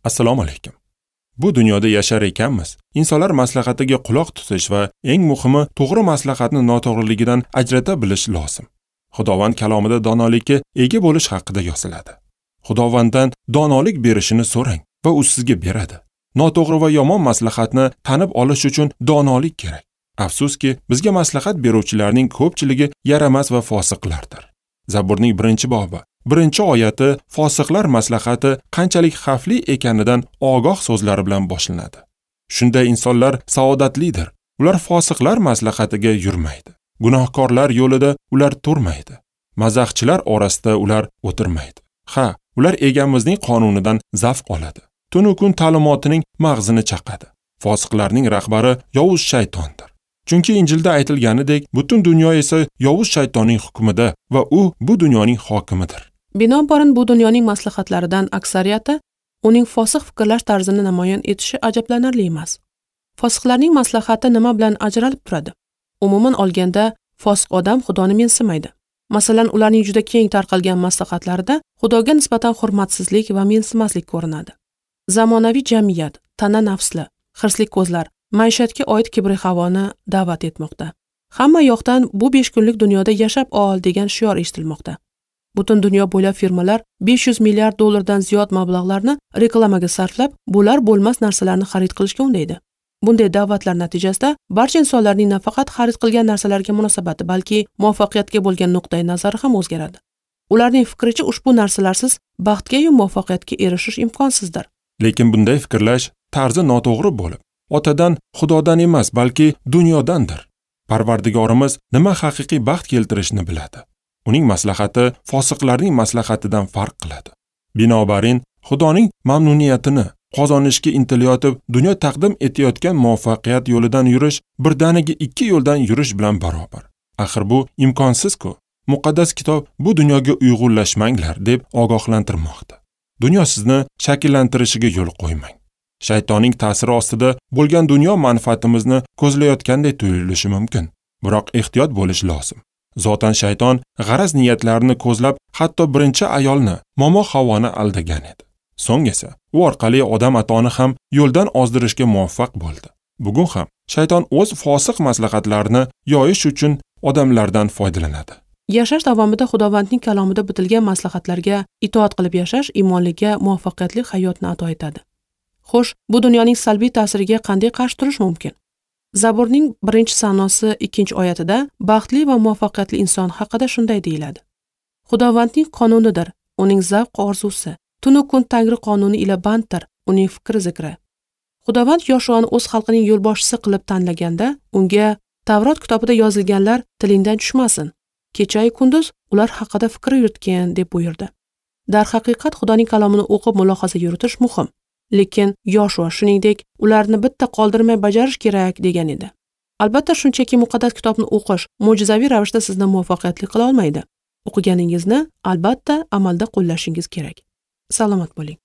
Assalomu alaykum. Bu dunyoda yashar ekanmiz, insonlar maslahatiga quloq tutish va eng muhimi to'g'ri maslahatni noto'g'riligidan ajrata bilish lozim. Xudovand kalomida donolikka ega bo'lish haqida yoziladi. Xudovanddan donolik berishini so'rang va u sizga beradi. Noto'g'ri va yomon maslahatni tanib olish uchun donolik kerak. Afsuski, bizga maslahat beruvchilarning ko'pchiligi yaramas va fosiqlardir. Zaburning 1-bobi 1-oyati fosiqlar maslahati qanchalik xavfli ekanidan ogoh so'zlari bilan boshlanadi. Shunday insonlar saodatlidir. Ular fosiqlar maslahatiga yurmaydi. Gunohkorlar yo'lida ular turmaydi. Mazaxchilar orasida ular o'tirmaydi. Ha, ular egamizning qonunidan zavq oladi. Tunu kun ta'limotining mag'zini chaqadi. Fosiqlarning rahbari yovuz shaytondir. Chunki Injilda aytilganidek, butun dunyo esa yovuz shaytonning hukmida va u bu dunyoning hokimidir. Binobarin bu dunyoning maslahatlaridan aksariyati uning fosiq fikrlash tarzini namoyon etishi ajablanarli emas. Fosiqlarning maslahati nima bilan ajralib turadi? Umuman olganda, fosiq odam Xudoni mensimaydi. Masalan, ularning juda keng tarqalgan maslahatlarida Xudoga nisbatan hurmatsizlik va mensimaslik ko'rinadi. Zamonaviy jamiyat, tana nafsli, hirsli ko'zlar maishatga oid kibri havoni da'vat etmoqda. Hamma yoqdan bu 5 kunlik dunyoda yashab ol degan shior eshitilmoqda. Butun dunyo bo'ylab firmalar 500 milliard dollardan ziyod mablag'larni reklamaga sarflab, bo'lar bo'lmas narsalarni xarid qilishga undaydi. Bunday da'vatlar natijasida barcha insonlarning nafaqat xarid qilgan narsalarga munosabati, balki muvaffaqiyatga bo'lgan nuqtai nazari ham o'zgaradi. Ularning fikricha ushbu narsalarsiz baxtga va muvaffaqiyatga erishish imkonsizdir. Lekin bunday fikrlash tarzi noto'g'ri bo'lib, otadan, Xudodan emas, balki dunyodandir. Parvardigorimiz nima haqiqiy baxt keltirishni biladi. Uning maslahati fosiqlarning maslahatidan farq qiladi. Binobarin, Xudoning mamnuniyatini qozonishga intilayotib, dunyo taqdim etayotgan muvaffaqiyat yo'lidan yurish birdaniga 2 yo'ldan yurish bilan barobar. Axir bu imkonsiz-ku. Muqaddas kitob bu dunyoga uyg'unlashmanglar deb ogohlantirmoqda. Dunyo sizni shakllantirishiga yo'l qo'ymang. Shaytonning ta'siri ostida bo'lgan dunyo manfaatimizni ko'zlayotganday tuyulishi mumkin. Biroq ehtiyot bo'lish lozim. Zotan shayton g'araz niyatlarini ko'zlab, hatto birinchi ayolni, Momo Havoni aldagan edi. So'ng esa u orqali odam atoni ham yo'ldan ozdirishga muvaffaq bo'ldi. Bugun ham shayton o'z fosiq maslahatlarini yoyish uchun odamlardan foydalanadi. Yashash davomida Xudovandning kalomida bitilgan maslahatlarga itoat qilib yashash imonliga muvaffaqiyatli hayotni ato etadi. Xo'sh, bu dunyoning salbiy ta'siriga qanday qarshi turish mumkin? Zaburning 1-sanosi 2-oyatida baxtli va muvaffaqiyatli inson haqida shunday deyiladi. Xudovandning qonunidir, uning zavq orzusi. Tunu kun Tangri qonuni ila banddir, uning fikri zikri. Xudovand Yoshuani o'z xalqining yo'lboshchisi qilib tanlaganda, unga Tavrot kitobida yozilganlar tilingdan tushmasin. Kecha-yu kunduz ular haqida fikr yuritgin deb buyurdi. Darhaqiqat Xudoning kalomini o'qib mulohaza yuritish muhim. Lekin Yoshua shuningdek ularni bitta qoldirmay bajarish kerak degan edi. Albatta shunchaki muqaddas kitobni o'qish mo'jizaviy ravishda sizni muvaffaqiyatli qila olmaydi. O'qiganingizni albatta amalda qo'llashingiz kerak. Salomat bo'ling.